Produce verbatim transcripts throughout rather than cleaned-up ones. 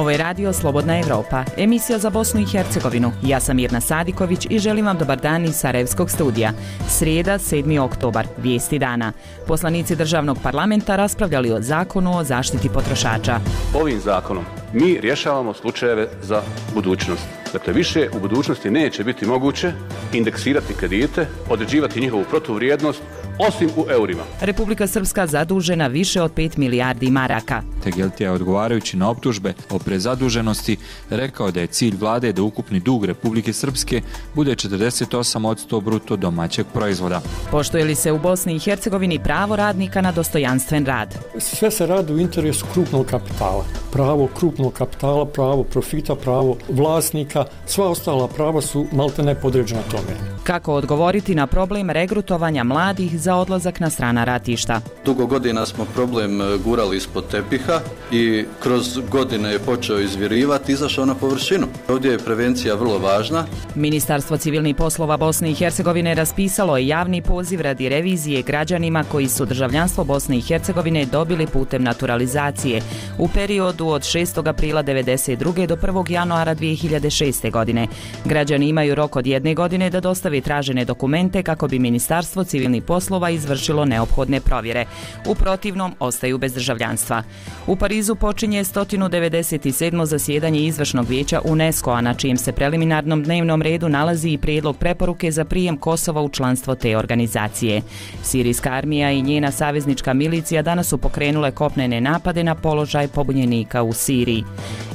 Ovo je radio Slobodna Evropa, emisija za Bosnu i Hercegovinu. Ja sam Mirna Sadiković i želim vam dobar dan iz Sarajevskog studija. Srijeda, sedmi oktobar, vijesti dana. Poslanici državnog parlamenta raspravljali o zakonu o zaštiti potrošača. Ovim zakonom mi rješavamo slučajeve za budućnost. Dakle, više u budućnosti neće biti moguće indeksirati kredite, određivati njihovu protuvrijednost, osim u eurima. Republika Srpska zadužena više od pet milijardi maraka. Tegeltija je odgovarajući na optužbe o prezaduženosti rekao da je cilj vlade da ukupni dug Republike Srpske bude četrdeset osam posto bruto domaćeg proizvoda. Poštuje li se u Bosni i Hercegovini pravo radnika na dostojanstven rad? Sve se radi u interesu krupnog kapitala. Pravo krupnog kapitala, pravo profita, pravo vlasnika, sva ostala prava su maltene podređena tome. Kako odgovoriti na problem regrutovanja mladih za odlazak na strana ratišta? Dugo godina smo problem gurali ispod tepiha i kroz godine je počeo izvirivati, izašao na površinu. Ovdje je prevencija vrlo važna. Ministarstvo civilnih poslova Bosne i Hercegovine raspisalo je javni poziv radi revizije građanima koji su državljanstvo Bosne i Hercegovine dobili putem naturalizacije u periodu od šestog aprila devedeset druge do prvog januara dvije hiljade šeste. godine. Građani imaju rok od jedne godine da dostave tražene dokumente kako bi Ministarstvo civilnih poslova izvršilo neophodne provjere. U protivnom ostaju bez državljanstva. U Parizu počinje sto devedeset sedmo zasjedanje izvršnog vijeća UNESCO-a, na čijem se preliminarnom dnevnom redu nalazi i prijedlog preporuke za prijem Kosova u članstvo te organizacije. Sirijska armija i njena saveznička milicija danas su pokrenule kopnene napade na položaj pobunjenika u Siriji.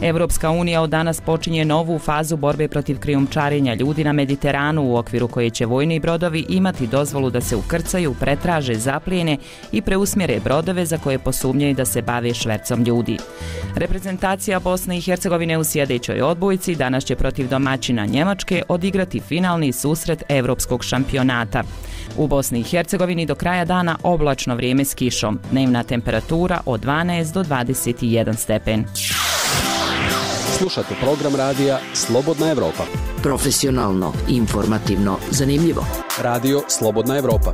Evropska unija od danas počinje novu fazu borbe protiv krijumčarenja ljudi na Mediteranu, u okviru koje će vojni brodovi imati dozvolu da se ukrcaju, pretraže, zaplijene i preusmjere brodove za koje posumnjaju da se bave švercom ljudi. Reprezentacija Bosne i Hercegovine u sljedećoj odbojci danas će protiv domaćina Njemačke odigrati finalni susret Evropskog šampionata. U Bosni i Hercegovini do kraja dana oblačno vrijeme s kišom, dnevna temperatura od dvanaest do dvadeset jedan stepen. Slušate program radija Slobodna Evropa. Profesionalno, informativno, zanimljivo. Radio Slobodna Evropa.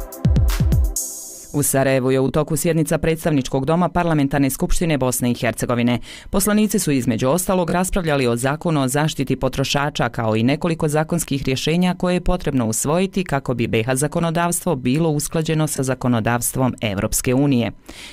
U Sarajevu je u toku sjednica predstavničkog doma Parlamentarne skupštine Bosne i Hercegovine. Poslanici su između ostalog raspravljali o zakonu o zaštiti potrošača, kao i nekoliko zakonskih rješenja koje je potrebno usvojiti kako bi be ha zakonodavstvo bilo usklađeno sa zakonodavstvom Evropske unije.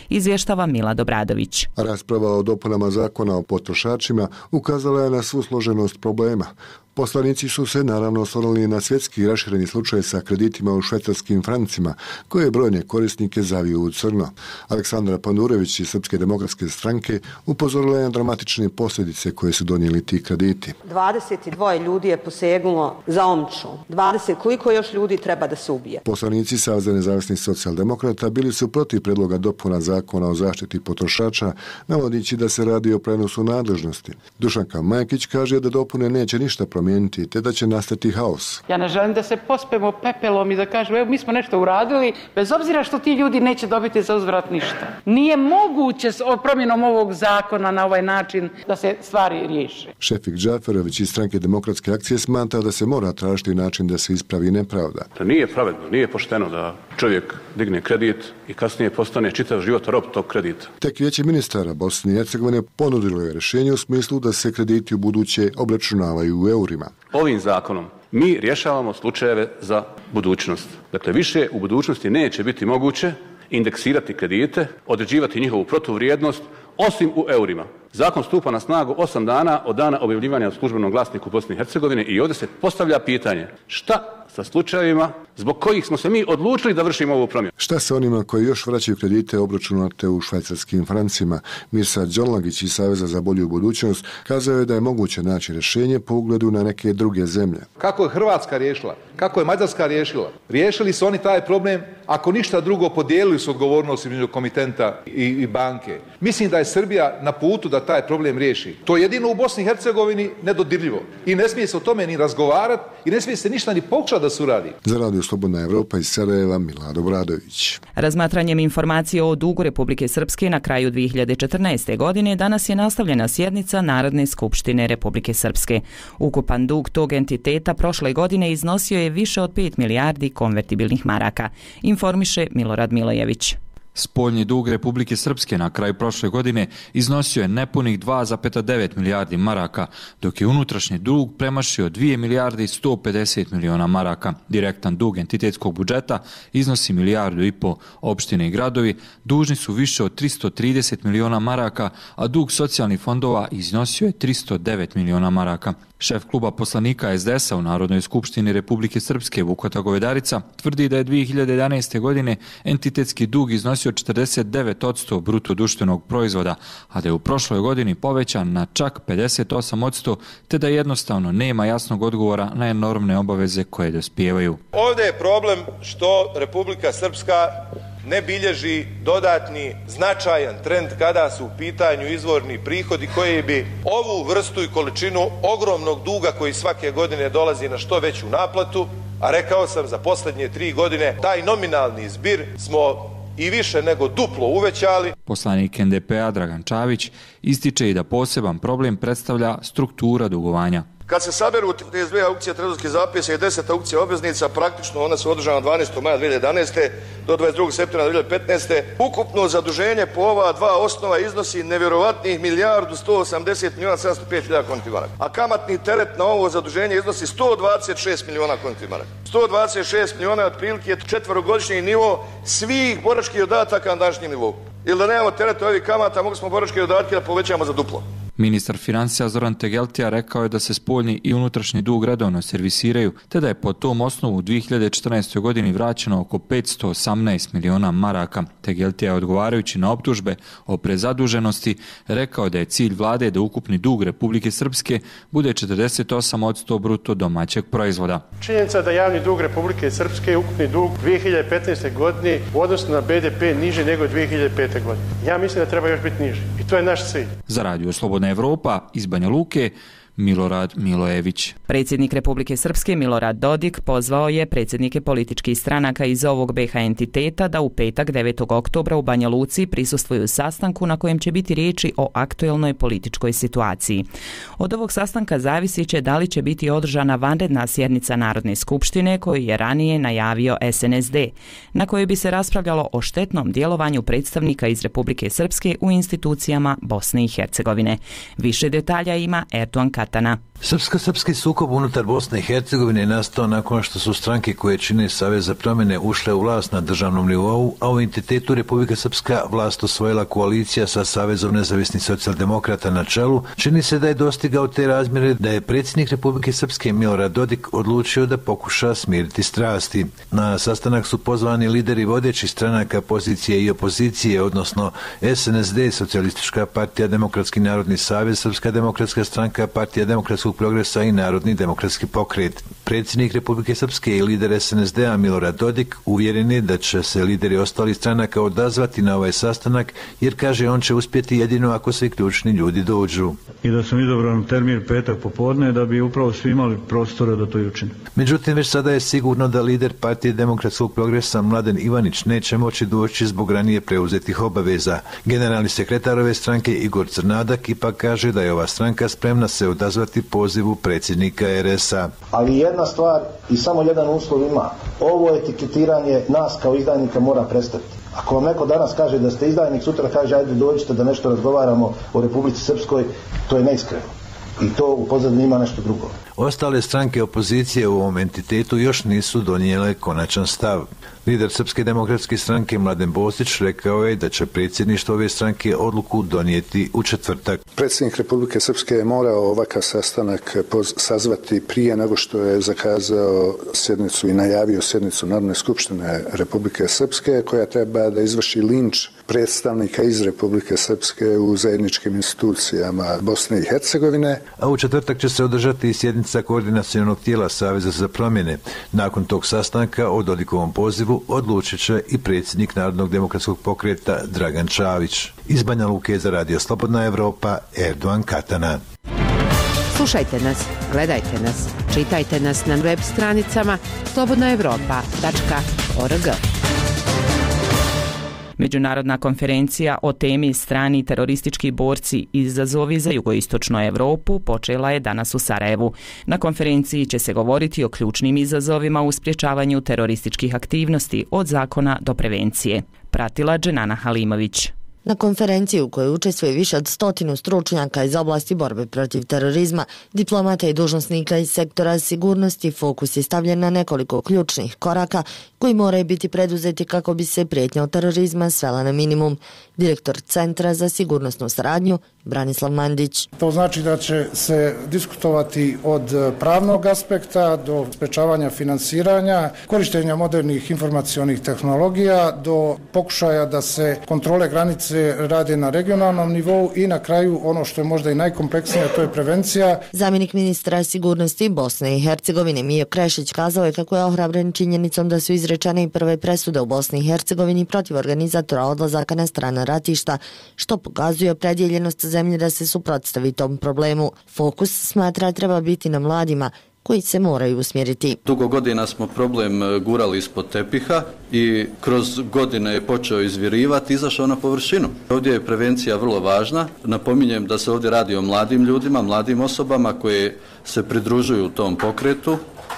Izvještava Mila Dobradović. Rasprava o dopunama zakona o potrošačima ukazala je na svu složenost problema. Poslanici su se naravno osvrnuli na svjetski rašireni slučaj sa kreditima u švajcarskim francima, koje brojne korisnike zaviju u crno. Aleksandra Pandurević iz Srpske demokratske stranke upozorila je na dramatične posljedice koje su donijeli ti krediti. dvadeset dvoje ljudi je posegnulo za omču. dvadeset koliko još ljudi treba da se ubije? Poslanici Saveza nezavisnih socijaldemokrata bili su protiv predloga dopuna zakona o zaštiti potrošača, navodići da se radi o prenosu nadležnosti. Dušanka Majkić kaže da dopune neće ništa promijeniti, te da će nastati haos. Ja ne želim da se pospemo pepelom i da kažemo evo mi smo nešto uradili, bez obzira što ti ljudi neće dobiti za uzvrat ništa. Nije moguće s promjenom ovog zakona na ovaj način da se stvari riješe. Šefik Džaferović iz Stranke demokratske akcije smatra da se mora tražiti način da se ispravi nepravda. To nije pravedno, nije pošteno da čovjek digne kredit i kasnije postane čitav život rob tog kredita. Tek Vijeće ministara Bosne i Hercegovine ponudilo je rješenje u smislu da se krediti u buduće obračunavaju u eurima. Ovim zakonom mi rješavamo slučajeve za budućnost. Dakle, više u budućnosti neće biti moguće indeksirati kredite, određivati njihovu protuvrijednost, osim u eurima. Zakon stupa na snagu osam dana od dana objavljivanja u službenom glasniku Bosne i Hercegovine i ovdje se postavlja pitanje šta sa slučajevima zbog kojih smo se mi odlučili da vršimo ovu promjenu. Šta sa onima koji još vraćaju kredite obračunate u švajcarskim francima? Mirsa Đonlagić iz Saveza za bolju budućnost kazao je da je moguće naći rješenje po ugledu na neke druge zemlje. Kako je Hrvatska riješila? Kako je Mađarska riješila? Riješili su oni taj problem, ako ništa drugo podijelili su odgovornost između komitenta i, i banke. Mislim da je Srbija na putu da taj problem riješi. To je jedino u Bosni i Hercegovini nedodirljivo. I ne smije se o tome ni razgovarati i ne smije se ništa ni pokušati da se uradi. Za Radio Slobodna Evropa iz Sarajeva, Milado Bradović. Razmatranjem informacije o dugu Republike Srpske na kraju dvije hiljade četrnaeste. godine danas je nastavljena sjednica Narodne skupštine Republike Srpske. Ukupan dug tog entiteta prošle godine iznosio je više od pet milijardi konvertibilnih maraka, informiše Milorad Milojević. Spoljni dug Republike Srpske na kraju prošle godine iznosio je nepunih dva zarez devet milijardi maraka, dok je unutrašnji dug premašio dvije milijarde i sto pedeset miliona maraka. Direktan dug entitetskog budžeta iznosi milijardu i po. Opštine i gradovi dužni su više od tristo trideset miliona maraka, a dug socijalnih fondova iznosio je tristo devet miliona maraka. Šef kluba poslanika es de es a u Narodnoj skupštini Republike Srpske Vukota Govedarica tvrdi da je dvije hiljade jedanaeste. godine entitetski dug iznosio četrdeset devet posto bruto društvenog proizvoda, a da je u prošloj godini povećan na čak pedeset osam posto, te da jednostavno nema jasnog odgovora na enormne obaveze koje dospijevaju. Ovdje je problem što Republika Srpska ne bilježi dodatni značajan trend kada su u pitanju izvorni prihodi koji bi ovu vrstu i količinu ogromnog duga koji svake godine dolazi na što veću naplatu, a rekao sam za posljednje tri godine taj nominalni zbir smo i više nego duplo uvećali. Poslanik en de pe a Dragan Čavić ističe i da poseban problem predstavlja struktura dugovanja. Kad se saberu trideset dvije aukcije trezorskih zapisa i deset aukcija obveznica, praktično ona su održana dvanaestog maja dvije hiljade jedanaeste. do dvadeset drugog septembra dvije hiljade petnaeste. Ukupno zaduženje po ova dva osnova iznosi nevjerovatnih milijardu sto osamdeset miliona sedamsto pet hiljada konti maraka. A kamatni teret na ovo zaduženje iznosi sto dvadeset šest miliona konti maraka. sto dvadeset šest miliona otprilike četverogodišnji nivo svih boračkih dodataka na današnjem nivou. Ili da nemamo tereta ovih kamata, mogli smo boračke dodatke da povećamo za duplo. Ministar financija Zoran Tegeltija rekao je da se spoljni i unutrašnji dug redovno servisiraju, te da je po tom osnovu u dvije hiljade četrnaestoj. godini vraćeno oko petsto osamnaest miliona maraka. Tegeltija je odgovarajući na optužbe o prezaduženosti rekao da je cilj vlade da ukupni dug Republike Srpske bude četrdeset osam posto bruto domaćeg proizvoda. Činjenica da javni dug Republike Srpske, ukupni dug dvije hiljade petnaeste. godine u odnosu na be de pe niži nego dvije hiljade pete. godine. Ja mislim da treba još biti niži i to je naš cilj. Za Radio Slobodna Evropa iz Banja Luke, Milorad Milojević. Predsjednik Republike Srpske Milorad Dodik pozvao je predsjednike političkih stranaka iz ovog be ha entiteta da u petak devetog oktobra u Banja Luci prisustvuju sastanku na kojem će biti riječi o aktuelnoj političkoj situaciji. Od ovog sastanka zavisit će da li će biti održana vanredna sjednica Narodne skupštine koju je ranije najavio es en es de, na kojoj bi se raspravljalo o štetnom djelovanju predstavnika iz Republike Srpske u institucijama Bosne i Hercegovine. Više detalja ima Erdogan Katana. Srpsko-srpski sukob unutar Bosne i Hercegovine je nastao nakon što su stranke koje čine Savez za promjene ušle u vlast na državnom nivou, a u entitetu Republika Srpska vlast osvojila koalicija sa Savezom nezavisnih socijaldemokrata na čelu. Čini se da je dostigao te razmjere da je predsjednik Republike Srpske Milorad Dodik odlučio da pokuša smiriti strasti. Na sastanak su pozvani lideri vodećih stranaka pozicije i opozicije, odnosno es en es de, Socijalistička partija, Demokratski narodni savez, Srpska demokratska stranka, Partija demokratskog progresa i Narodni demokratski pokret. Predsjednik Republike Srpske i lider es en es de a Milorad Dodik uvjeren je da će se lideri ostalih stranaka odazvati na ovaj sastanak, jer kaže on će uspjeti jedino ako svi ključni ljudi dođu. I da sam izabran termin petak popodne da bi upravo svi imali prostora da to i učine. Međutim, već sada je sigurno da lider Partije demokratskog progresa Mladen Ivanić neće moći doći zbog ranije preuzetih obaveza. Generalni sekretar ove stranke Igor Crnadak ipak kaže da je ova stranka spremna se odazvati pozivu predsjednika er es a. Ali jedna stvar i samo jedan uslov ima. Ovo etiketiranje nas kao izdajnika mora prestati. Ako vam neko danas kaže da ste izdajnik, sutra kaže ajde dođite da nešto razgovaramo o Republici Srpskoj, to je neiskreno. I to u pozadini ima nešto drugo. Ostale stranke opozicije u ovom entitetu još nisu donijele konačan stav. Lider Srpske demokratske stranke Mladen Bosić rekao je da će predsjedništvo ove stranke odluku donijeti u četvrtak. Predsjednik Republike Srpske je morao ovakav sastanak sazvati prije nego što je zakazao sjednicu i najavio sjednicu Narodne skupštine Republike Srpske koja treba da izvrši linč predstavnika iz Republike Srpske u zajedničkim institucijama Bosne i Hercegovine. A u četvrtak će se održati i sjednica koordinacionog tijela Saveza za promjene. Nakon tog sastanka o Dodikovom pozivu odlučit će i predsjednik Narodnog demokratskog pokreta Dragan Čavić. Iz Banja Luke za Radio Slobodna Evropa, Erdogan Katana. Slušajte nas, gledajte nas, čitajte nas na web stranicama slobodna evropa tačka org. Međunarodna konferencija o temi strani teroristički borci izazovi za jugoistočnu Europu počela je danas u Sarajevu. Na konferenciji će se govoriti o ključnim izazovima u sprječavanju terorističkih aktivnosti od zakona do prevencije. Pratila Dženana Halimović. Na konferenciji u kojoj učestvuje više od stotinu stručnjaka iz oblasti borbe protiv terorizma, diplomata i dužnosnika iz sektora sigurnosti, fokus je stavljen na nekoliko ključnih koraka koji moraju biti preduzeti kako bi se prijetnja od terorizma svela na minimum. Direktor Centra za sigurnosnu saradnju Branislav Mandić. To znači da će se diskutovati od pravnog aspekta do sprečavanja finansiranja, korištenja modernih informacionih tehnologija do pokušaja da se kontrole granice rade na regionalnom nivou i na kraju ono što je možda i najkompleksnije, to je prevencija. Zamjenik ministra sigurnosti Bosne i Hercegovine Mijo Krešić kazao je kako je ohrabren činjenicom da su izrečene i prve presude u Bosni i Hercegovini protiv organizatora odlazaka na strana ratišta, što pokazuje opredjeljenost zemlje da se suprotstavi tom problemu. Fokus, smatra, treba biti na mladima koji se moraju usmjeriti. Dugo godina smo problem gurali ispod tepiha i kroz godine je počeo izvirivati, izašao na površinu. Ovdje je prevencija vrlo važna. Napominjem da se ovdje radi o mladim ljudima, mladim osobama koji se pridružuju tom pokretu,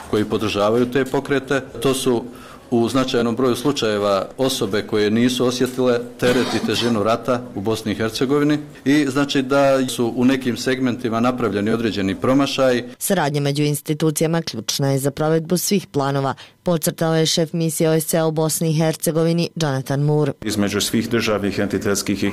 koji podržavaju te pokrete. To su u značajnom broju slučajeva osobe koje nisu osjetile teret i težinu rata u Bosni i Hercegovini i znači da su u nekim segmentima napravljeni određeni promašaj. Saradnja među institucijama ključna je za provedbu svih planova, podcrtao je šef misije O S C E u Bosni i Hercegovini Jonathan Moore. Između svih državnih, entitetskih i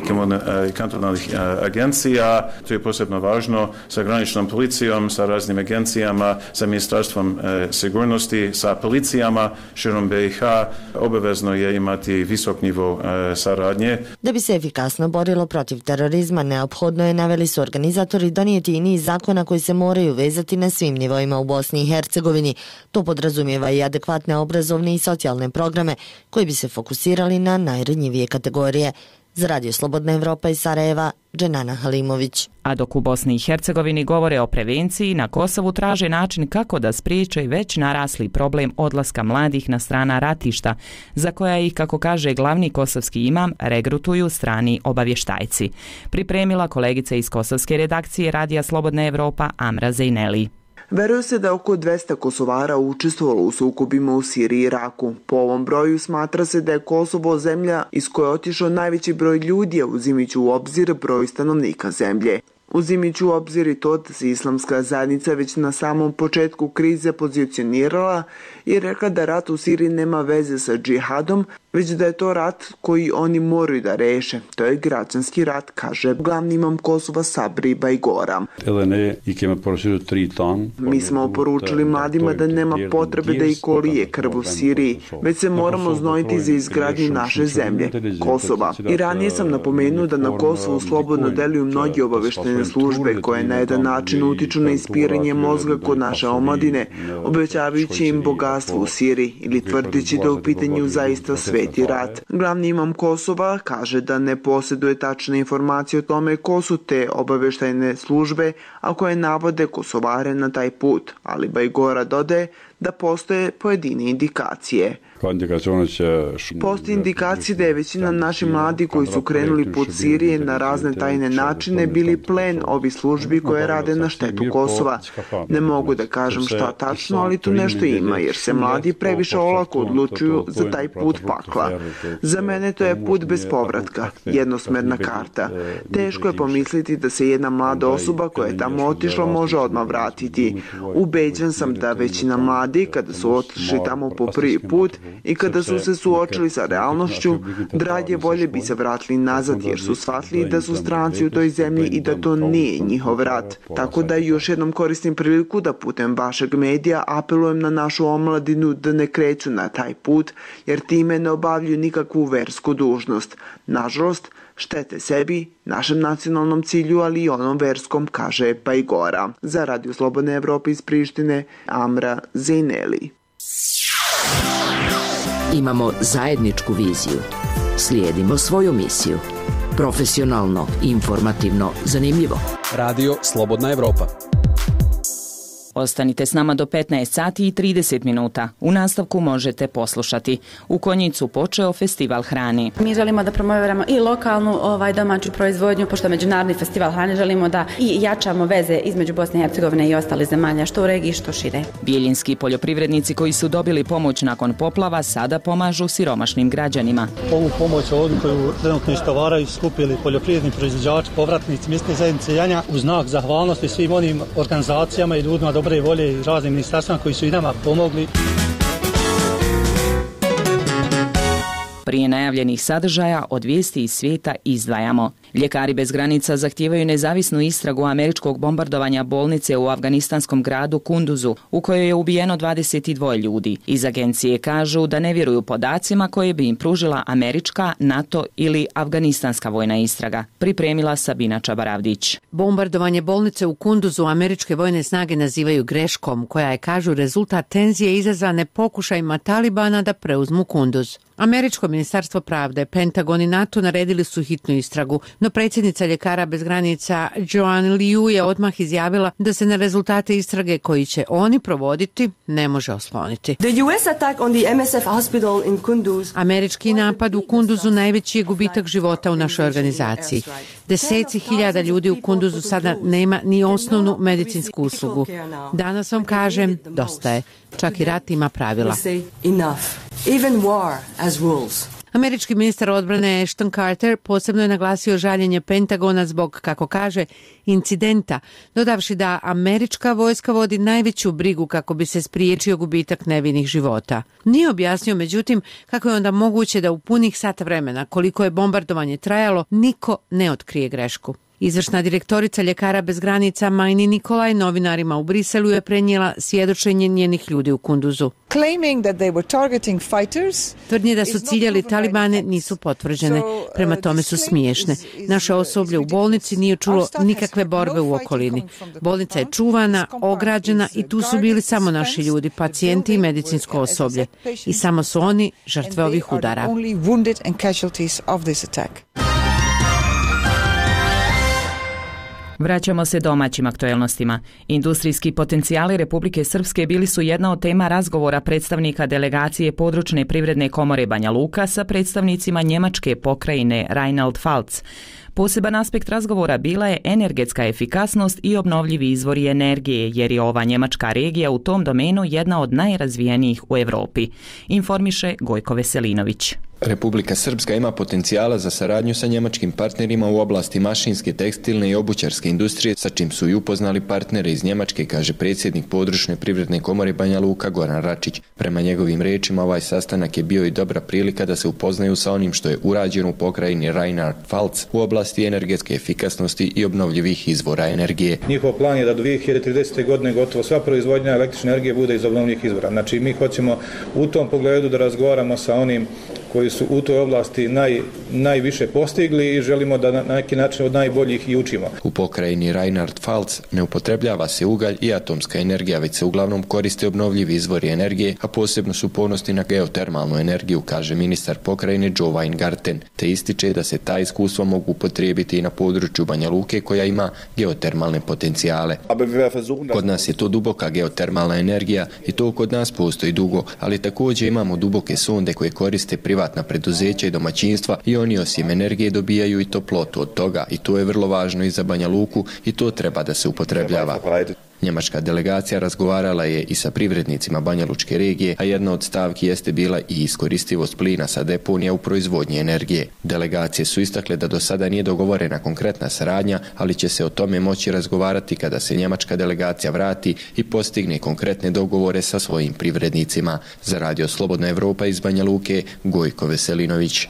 kantonalnih agencija, to je posebno važno sa graničnom policijom, sa raznim agencijama, sa ministarstvom sigurnosti, sa policijama širom B i H, obavezno je imati visok nivo e, saradnje. Da bi se efikasno borilo protiv terorizma, neophodno je, naveli su organizatori, donijeti i niz zakona koji se moraju vezati na svim nivoima u Bosni i Hercegovini. To podrazumijeva i adekvatne obrazovne i socijalne programe koji bi se fokusirali na najranjivije kategorije. Za Radio Slobodna Evropa iz Sarajeva, Dženana Halimović. A dok u Bosni i Hercegovini govore o prevenciji, na Kosovu traže način kako da spriječe već narasli problem odlaska mladih na strana ratišta, za koja ih, kako kaže glavni kosovski imam, regrutuju strani obavještajci. Pripremila kolegica iz kosovske redakcije Radija Slobodna Evropa Amra Zejneli. Veruje se da oko dvesta Kosovara učestvovalo u sukobima u Siriji i Iraku. Po ovom broju smatra se da je Kosovo zemlja iz koje je otišao najveći broj ljudi, a uzimajući u obzir broj stanovnika zemlje. Uzimajući u obzir i to da se islamska zajednica već na samom početku krize pozicionirala i rekla da rat u Siriji nema veze sa džihadom, već da je to rat koji oni moraju da reše. To je građanski rat, kaže glavni imam Kosova Sabri Bajgora. Mi smo poručili mladima da nema potrebe da i kolije krv u Siriji, već se moramo znojiti za izgradnju naše zemlje, Kosova. I ranije sam napomenuo da na Kosovu slobodno deluju mnogi obaveštajne službe koje na jedan način utiču na ispiranje mozga kod naše omladine, obećavajući im bogatstvo u Siriji ili tvrdeći da u pitanju zaista sveti rat. Glavni imam Kosova kaže da ne posjeduje tačne informacije o tome ko su te obaveštajne službe, a koje navode Kosovare na taj put, ali Bajgora dodaje da postoje pojedine indikacije. Postoji indikacije da je većina naših mladi koji su krenuli put Sirije na razne tajne načine bili plen ovih službi koje rade na štetu Kosova. Ne mogu da kažem šta tačno, ali tu nešto ima, jer se mladi previše olako odlučuju za taj put pakla. Za mene to je put bez povratka, jednosmerna karta. Teško je pomisliti da se jedna mlada osoba koja je tamo otišla može odmah vratiti. Ubeđen sam da većina mladi, kada su otišli tamo po prvi put, i kada su se suočili sa realnošću, drage volje bi se vratili nazad jer su shvatili da su stranci u toj zemlji i da to nije njihov rat. Tako da još jednom koristim priliku da putem vašeg medija apelujem na našu omladinu da ne kreću na taj put jer time ne obavljaju nikakvu versku dužnost. Nažalost, štete sebi, našem nacionalnom cilju, ali i onom verskom, kaže Bajgora. Za Radio Slobodne Evrope iz Prištine, Amra Zejneli. Imamo zajedničku viziju. Slijedimo svoju misiju. Profesionalno, informativno, zanimljivo. Radio Slobodna Evropa. Ostanite s nama do petnaest sati i trideset minuta. U nastavku možete poslušati. U Konjicu počeo festival hrane. Mi želimo da promoviramo i lokalnu ovaj, domaću proizvodnju, pošto međunarodni festival hrane želimo da i jačamo veze između Bosne i Hercegovine i ostalih zemalja, što u regiji, što šire. Bijeljinski poljoprivrednici koji su dobili pomoć nakon poplava sada pomažu siromašnim građanima. Ovu pomoć ovdje koju trenutno istovaraju skupili poljoprivredni proizvođači, povratnici mjesne zajednice Janja u znak zahvalnosti svim onim organizacijama i ljudima dobre volje i raznim ministarstvima koji su i nama pomogli. Prije najavljenih sadržaja od vijesti iz svijeta izdvajamo. Ljekari bez granica zahtijevaju nezavisnu istragu američkog bombardovanja bolnice u afganistanskom gradu Kunduzu, u kojoj je ubijeno dvadeset dvoje ljudi. Iz agencije kažu da ne vjeruju podacima koje bi im pružila američka, NATO ili afganistanska vojna istraga. Pripremila Sabina Čabaravdić. Bombardovanje bolnice u Kunduzu američke vojne snage nazivaju greškom, koja je, kažu, rezultat tenzije izazvane pokušajima Talibana da preuzmu Kunduz. Američko ministarstvo pravde, Pentagon i NATO naredili su hitnu istragu, no predsjednica Ljekara bez granica Joan Liu je odmah izjavila da se na rezultate istrage koji će oni provoditi ne može osloniti. The U S attack on the M S F hospital in Kunduz. Američki napad u Kunduzu najveći je gubitak života u našoj organizaciji. Deseci hiljada ljudi u Kunduzu sada nema ni osnovnu medicinsku uslugu. Danas vam kažem, dosta je. Čak i rat ima pravila. Even war as rules. Američki ministar odbrane Ashton Carter posebno je naglasio žaljenje Pentagona zbog, kako kaže, incidenta, dodavši da američka vojska vodi najveću brigu kako bi se spriječio gubitak nevinih života. Nije objasnio, međutim, kako je onda moguće da u punih sat vremena, koliko je bombardovanje trajalo, niko ne otkrije grešku. Izvršna direktorica Ljekara bez granica Majni Nikolaj novinarima u Briselu je prenijela svjedočenje njenih ljudi u Kunduzu. Tvrdnje da su ciljali Talibane nisu potvrđene, prema tome su smiješne. Naše osoblje u bolnici nije čulo nikakve borbe u okolini. Bolnica je čuvana, ograđena i tu su bili samo naši ljudi, pacijenti i medicinsko osoblje. I samo su oni žrtve ovih udara. Vraćamo se domaćim aktuelnostima. Industrijski potencijali Republike Srpske bili su jedna od tema razgovora predstavnika delegacije područne privredne komore Banja Luka sa predstavnicima njemačke pokrajine Rheinland-Pfalz. Poseban aspekt razgovora bila je energetska efikasnost i obnovljivi izvori energije, jer je ova njemačka regija u tom domenu jedna od najrazvijenijih u Europi, informiše Gojko Veselinović. Republika Srpska ima potencijala za saradnju sa njemačkim partnerima u oblasti mašinske, tekstilne i obućarske industrije, sa čim su i upoznali partnere iz Njemačke, kaže predsjednik područne privredne komore Banja Luka Goran Račić. Prema njegovim riječima, ovaj sastanak je bio i dobra prilika da se upoznaju sa onim što je urađeno u pokrajini Rheinland-Pfalz u oblasti energetske efikasnosti i obnovljivih izvora energije. Njihov plan je da do dvije hiljade tridesete. godine gotovo sva proizvodnja električne energije bude iz obnovljivih izvora. Znači mi hoćemo u tom pogledu da razgovaramo sa onim koji su u toj oblasti naj, najviše postigli i želimo da na neki način od najboljih i učimo. U pokrajini Rheinland-Pfalz ne upotrebljava se ugalj i atomska energija, već se uglavnom koriste obnovljivi izvori energije, a posebno su ponosni na geotermalnu energiju, kaže ministar pokrajine Joe Weingarten, te ističe da se ta iskustva mogu upotrijebiti i na području Banja Luke koja ima geotermalne potencijale. Kod nas je to duboka geotermalna energija i to kod nas postoji dugo, ali također imamo duboke sonde koje koriste privatna preduzeća i domaćinstva i oni osim energije dobijaju i toplotu od toga i to je vrlo važno i za Banja Luku i to treba da se upotrebljava. Njemačka delegacija razgovarala je i sa privrednicima Banja Lučke regije, a jedna od stavki jeste bila i iskoristivost plina sa deponija u proizvodnji energije. Delegacije su istakle da do sada nije dogovorena konkretna saradnja, ali će se o tome moći razgovarati kada se njemačka delegacija vrati i postigne konkretne dogovore sa svojim privrednicima. Za Radio Slobodna Evropa iz Banja Luke, Gojko Veselinović.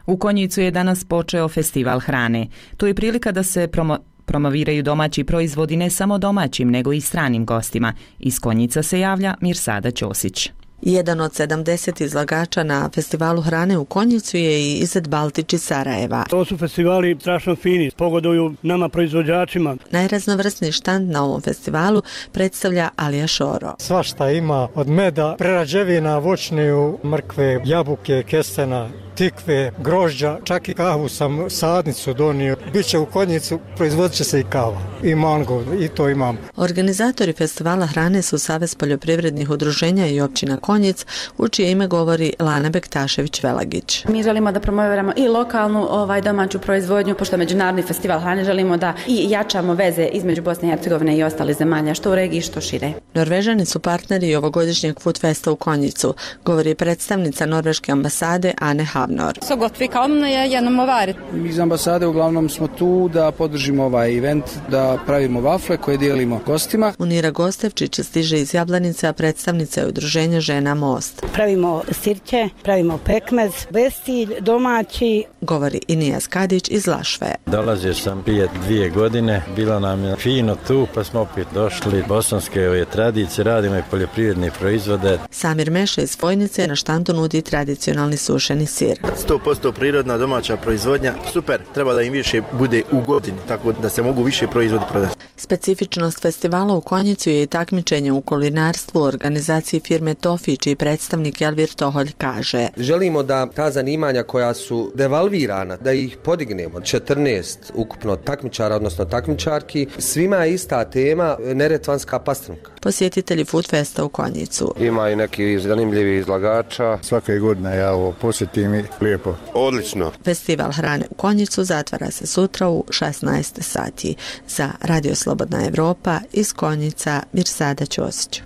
U Konjicu je danas počeo festival hrane. To je prilika da se promo promoviraju domaći proizvodi ne samo domaćim, nego i stranim gostima. Iz Konjica se javlja Mirsada Ćosić. Jedan od sedamdeset izlagača na festivalu hrane u Konjicu je i Izet Baltić iz Sarajeva. To su festivali strašno fini, pogoduju nama proizvođačima. Najraznovrsniji štand na ovom festivalu predstavlja Alija Šoro. Svašta ima, od meda, prerađevina, voćniju, mrkve, jabuke, kestena, tikve, grožđa, čak i kavu sam sadnicu donio. Biće u Konjicu, proizvodit će se i kava i mango, i to imam. Organizatori festivala hrane su Savez poljoprivrednih udruženja i općina Konjic, u čije ime govori Lana Bektašević-Velagić. Mi želimo da promoviramo i lokalnu ovaj domaću proizvodnju, pošto Međunarodni festival hrane želimo da i jačamo veze između Bosne i Hercegovine i ostalih zemalja, što u regiji, što šire. Norvežani su partneri ovogodišnjeg Food Festa u Konjicu, govori predstavnica norveške ambasade Ane Havnor. Så gott vi kan genom att vara. Mi iz ambasade uglavnom smo tu da podržimo ovaj event, da pravimo vafle koje dijelimo gostima. Unira Gostevčić stiže iz Jablanice, a predstavnica je udruženja Žena Most. Pravimo sirće, pravimo pekmez, bestilj, domaći. Govori Inija Skadić iz Lašve. Dolazio sam prije dvije godine, bilo nam je fino tu, pa smo opet došli. Bosanske ove tradicije, radimo i poljoprivredne proizvode. Samir Meša iz Vojnice na štandu nudi tradicionalni sušeni sir. sto posto prirodna domaća proizvodnja, super, treba da im više bude u godini, tako da se mogu više proizvodi prodati. Specifičnost festivala u Konjicu je i takmičenje u kulinarstvu u organizaciji firme Tofi, čiji predstavnik Elvir Toholj kaže. Želimo da ta zanimanja koja su devalvirana, da ih podignemo. četrnaest ukupno takmičara, odnosno takmičarki, svima je ista tema, neretvanska pastrnka. Posjetitelji Food Festa u Konjicu. Ima i neki zanimljivi izlagača. Svake godine ja ovo posjetim i lijepo. Odlično. Festival hrane u Konjicu zatvara se sutra u šesnaest sati. Za Radio Slobodna Evropa iz Konjica Mirsada Ćosić.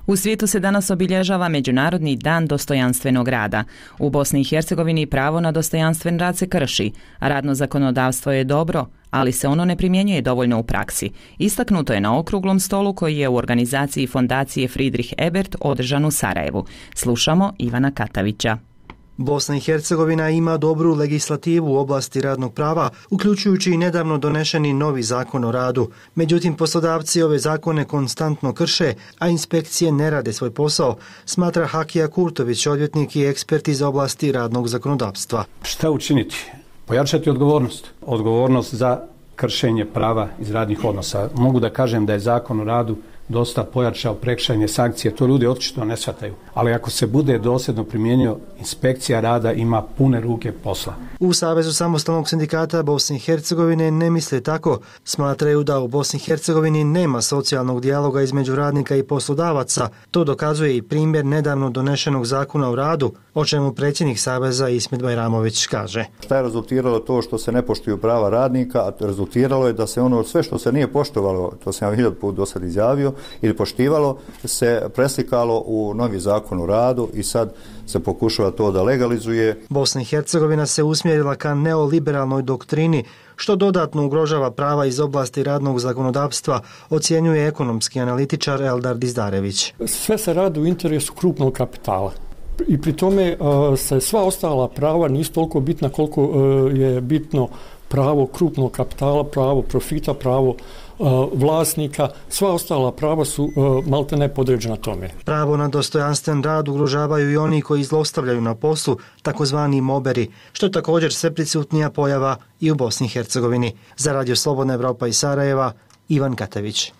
U svijetu se danas obilježava Međunarodni dan dostojanstvenog rada. U Bosni i Hercegovini pravo na dostojanstven rad se krši, a radno zakonodavstvo je dobro, ali se ono ne primjenjuje dovoljno u praksi. Istaknuto je na okruglom stolu koji je u organizaciji fondacije Friedrich Ebert održan u Sarajevu. Slušamo Ivana Katavića. Bosna i Hercegovina ima dobru legislativu u oblasti radnog prava, uključujući i nedavno donešeni novi zakon o radu. Međutim, poslodavci ove zakone konstantno krše, a inspekcije ne rade svoj posao, smatra Hakija Kurtović, odvjetnik i ekspert iz oblasti radnog zakonodavstva. Šta učiniti? Pojačati odgovornost. Odgovornost za kršenje prava iz radnih odnosa. Mogu da kažem da je zakon o radu dosta pojačao prekršajne sankcije, to ljudi očito ne shvataju. Ali ako se bude dosljedno primijenio, inspekcija rada ima pune ruke posla. U Savezu samostalnog sindikata Bosne i Hercegovine ne misle tako. Smatraju da u Bosni i Hercegovini nema socijalnog dijaloga između radnika i poslodavaca. To dokazuje i primjer nedavno donešenog zakona o radu, o čemu predsjednik Saveza Ismet Bajramović kaže. Šta je rezultiralo to što se ne poštuju prava radnika, a rezultiralo je da se ono sve što se nije poštovalo, to sam ja hiljadu put do sad izjavio, ili poštivalo, se preslikalo u novi zakon o radu i sad se pokušava to da legalizuje. Bosna i Hercegovina se usmjerila ka neoliberalnoj doktrini, što dodatno ugrožava prava iz oblasti radnog zakonodavstva, ocjenjuje ekonomski analitičar Eldar Dizdarević. Sve se radi u interesu krupnog kapitala. I pri tome uh, se sva ostala prava nisu toliko bitna koliko uh, je bitno pravo krupnog kapitala, pravo profita, pravo uh, vlasnika. Sva ostala prava su uh, malte ne podređena tome. Pravo na dostojanstven rad ugrožavaju i oni koji zlostavljaju na poslu, takozvani moberi, što je također sve prisutnija pojava i u Bosni i Hercegovini. Za Radio Slobodna Evropa iz Sarajeva, Ivan Katavić.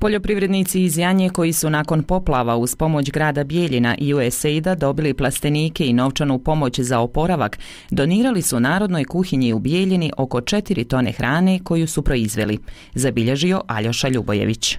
Poljoprivrednici iz Janje koji su nakon poplava uz pomoć grada Bijeljina i U S A I D-a dobili plastenike i novčanu pomoć za oporavak, donirali su Narodnoj kuhinji u Bijeljini oko četiri tone hrane koju su proizveli, zabilježio Aljoša Ljubojević.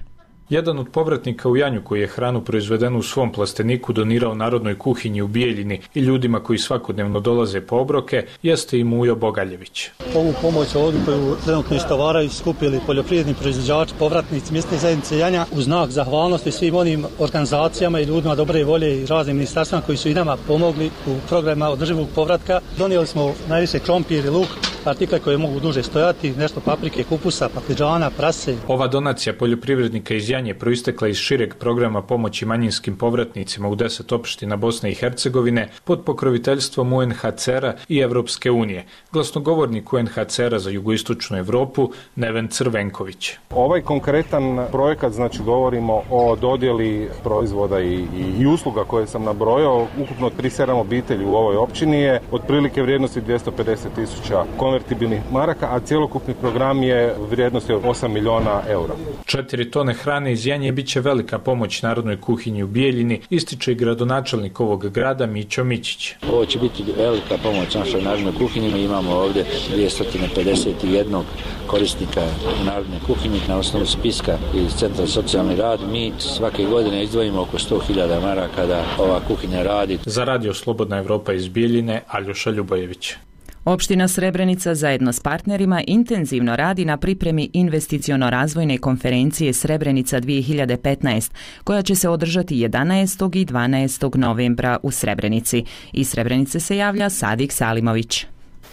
Jedan od povratnika u Janju koji je hranu proizvedenu u svom plasteniku donirao Narodnoj kuhinji u Bijeljini i ljudima koji svakodnevno dolaze po obroke jeste i Mujo Bogaljević. Ovu pomoć ovdje koju trenutno istovaraju skupili poljoprivredni proizvođači, povratnici mjesne zajednice Janja u znak zahvalnosti svim onim organizacijama i ljudima dobre volje i raznim ministarstvima koji su i nama pomogli u programima održivog povratka. Donijeli smo najviše krompir i luk, artikle koje mogu duže stojati, nešto paprike, kupusa, pakliđana, prase. Ova donacija poljoprivrednika iz Janje proistekla iz šireg programa pomoći manjinskim povratnicima u deset opština Bosne i Hercegovine pod pokroviteljstvom U N H C R-a i Evropske unije. Glasnogovornik U N H C R-a za jugoistočnu Evropu Neven Crvenković. Ovaj konkretan projekat, znači govorimo o dodjeli proizvoda i, i, i usluga koje sam nabrojao, ukupno trideset sedam obitelji u ovoj općini je otprilike vrijednosti dvjesto pedeset tisuća konvertibilnih maraka, a cjelokupni program je vrijednosti od osam miliona eura. Četiri tone hrane iz janje bit će velika pomoć narodnoj kuhinji u Bijeljini, ističe i gradonačelnik ovog grada Mićo Mićić. Ovo će biti velika pomoć našoj narodnoj kuhinji. Mi imamo ovdje dvjesto pedeset jedan korisnika narodne kuhinje. Na osnovu spiska iz Centra za socijalni rad mi svake godine izdvojimo oko sto hiljada maraka da ova kuhinja radi. Za Radio Slobodna Evropa iz Bijeljine, Aljoša Ljubojević. Opština Srebrenica zajedno s partnerima intenzivno radi na pripremi investiciono-razvojne konferencije Srebrenica dvije hiljade petnaest, koja će se održati jedanaestog i dvanaestog novembra u Srebrenici. Iz Srebrenice se javlja Sadik Salimović.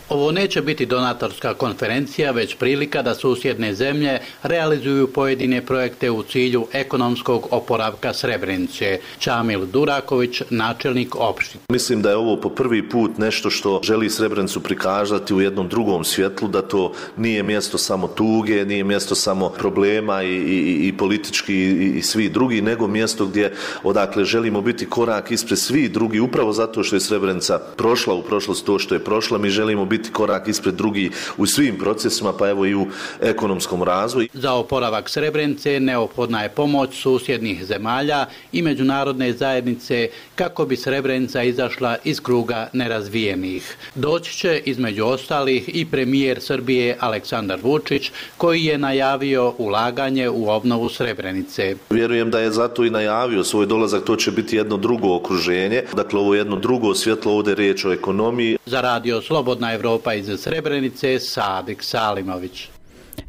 Ovo neće biti donatorska konferencija, već prilika da susjedne zemlje realizuju pojedine projekte u cilju ekonomskog oporavka Srebrenice. Čamil Duraković, načelnik opštine. Mislim da je ovo po prvi put nešto što želi Srebrenicu prikazati u jednom drugom svjetlu, da to nije mjesto samo tuge, nije mjesto samo problema i, i, i politički i, i svi drugi, nego mjesto gdje odakle želimo biti korak ispred svi drugi, upravo zato što je Srebrenica prošla u prošlost to što je prošla, mi želimo biti biti korak ispred drugi u svim procesima, pa evo i u ekonomskom razvoju. Za oporavak Srebrenice neophodna je pomoć susjednih zemalja i međunarodne zajednice kako bi Srebrenica izašla iz kruga nerazvijenih. Doći će između ostalih i premijer Srbije Aleksandar Vučić, koji je najavio ulaganje u obnovu Srebrenice. Vjerujem da je zato i najavio svoj dolazak, to će biti jedno drugo okruženje, dakle ovo je jedno drugo svjetlo, ovdje je riječ o ekonomiji. Za Radio Slobodna Evropa iz Srebrenice, Sadik Salimović.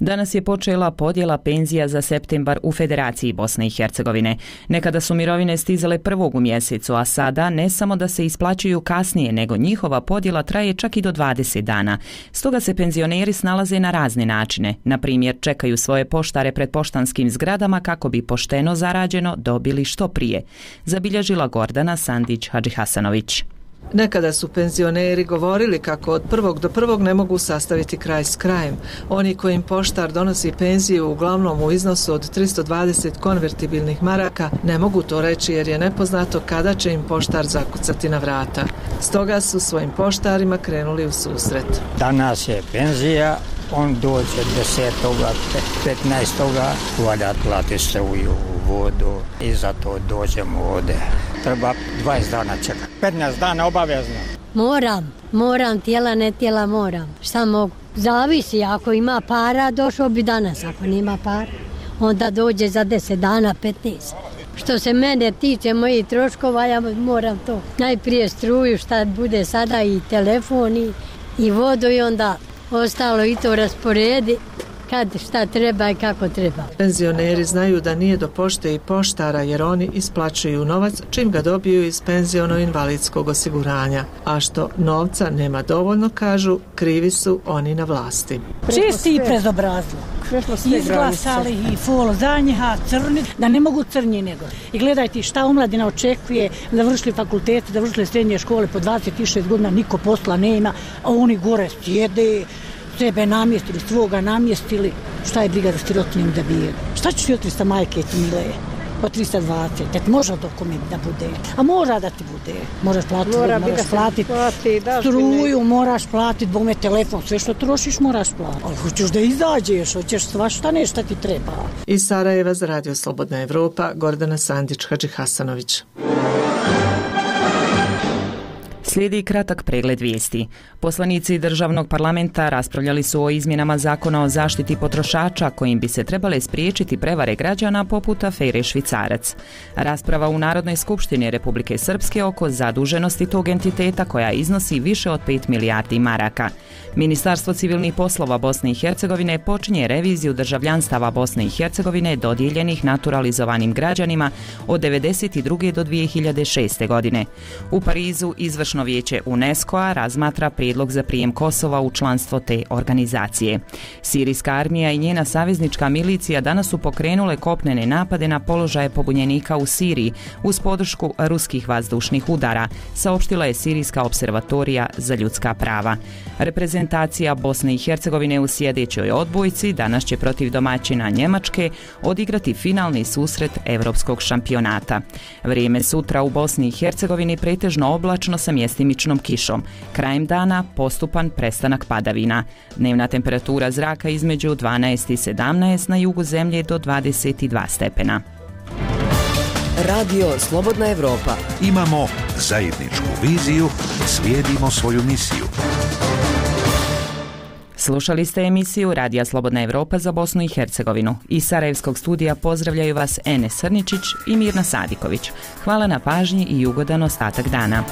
Danas je počela podjela penzija za septembar u Federaciji Bosne i Hercegovine. Nekada su mirovine stizale prvog u mjesecu, a sada ne samo da se isplaćuju kasnije, nego njihova podjela traje čak i do dvadeset dana. Stoga se penzioneri snalaze na razne načine. Na primjer, čekaju svoje poštare pred poštanskim zgradama kako bi pošteno zarađeno dobili što prije. Zabilježila Gordana Sandić-Hadžihasanović. Nekada su penzioneri govorili kako od prvog do prvog ne mogu sastaviti kraj s krajem. Oni kojim poštar donosi penziju uglavnom u iznosu od tristo dvadeset konvertibilnih maraka ne mogu to reći jer je nepoznato kada će im poštar zakucati na vrata. Stoga su svojim poštarima krenuli u susret. Danas je penzija, on dođe desetoga, petnaestoga, valja plati struju, vodu i zato dođemo ovdje. Treba dvadeset dana čekati. petnaest dana obavezno. Moram, moram, tijela ne tijela moram. Šta mogu? Zavisi, ako ima para, došao bi danas. Ako nima para, onda dođe za deset dana, petnaest. Što se mene tiče mojih troškova, ja moram to. Najprije struju, šta bude sada i telefon i, i vodu i onda ostalo i to rasporedi kad šta treba i kako treba. Penzioneri znaju da nije do pošte i poštara jer oni isplaćuju novac čim ga dobiju iz penziono-invalidskog osiguranja. A što novca nema dovoljno, kažu, krivi su oni na vlasti. Čisti i prezobrazlo. Izglasali i folo za njiha, crni, da ne mogu crnji nego. I gledajte šta omladina očekuje, da vršili fakultete, da vršili srednje škole po dvadeset šest godina, niko posla nema, a oni gore sjede, sebe namjestili, svoga namjestili. Šta je briga za sirotinjem da bije? Šta ćeš jutri sa majke ti mileje? Po tristo dvadeset. Et može dokument da bude. A mora da ti bude. Moraš platiti, Mora moraš platiti plati, struju, moraš platiti, bome telefon, sve što trošiš moraš platiti. Ali hoćeš da izađeš, hoćeš svašta nešto ti treba. Iz Sarajeva za Radio Slobodna Evropa, Gordana Sandić-Hadžihasanović. Slijedi kratak pregled vijesti. Poslanici državnog parlamenta raspravljali su o izmjenama zakona o zaštiti potrošača kojim bi se trebale spriječiti prevare građana poput afere Švicarac. Rasprava u Narodnoj skupštini Republike Srpske oko zaduženosti tog entiteta koja iznosi više od pet milijardi maraka. Ministarstvo civilnih poslova Bosne i Hercegovine počinje reviziju državljanstava Bosne i Hercegovine dodijeljenih naturalizovanim građanima od devedeset druge do dvije hiljade šeste. godine. U Parizu izvršno vijeće UNESCO-a razmatra prijedlog za prijem Kosova u članstvo te organizacije. Sirijska armija i njena saveznička milicija danas su pokrenule kopnene napade na položaje pobunjenika u Siriji uz podršku ruskih vazdušnih udara, saopštila je Sirijska observatorija za ljudska prava. Reprezentacija Bosne i Hercegovine u sljedećoj odbojci danas će protiv domaćina Njemačke odigrati finalni susret Evropskog šampionata. Vrijeme sutra u Bosni i Hercegovini pretežno oblačno sa mjesecima mjestimičnom kišom. Krajem dana postupan prestanak padavina. Dnevna temperatura zraka između dvanaest i sedamnaest, na jugu zemlje do dvadeset dva stepena. Radio Slobodna Evropa. Imamo zajedničku viziju, slijedimo svoju misiju. Slušali ste emisiju Radija Slobodna Evropa za Bosnu i Hercegovinu. Iz Sarajevskog studija pozdravljaju vas Enes Srničić i Mirna Sadiković. Hvala na pažnji i ugodan ostatak dana.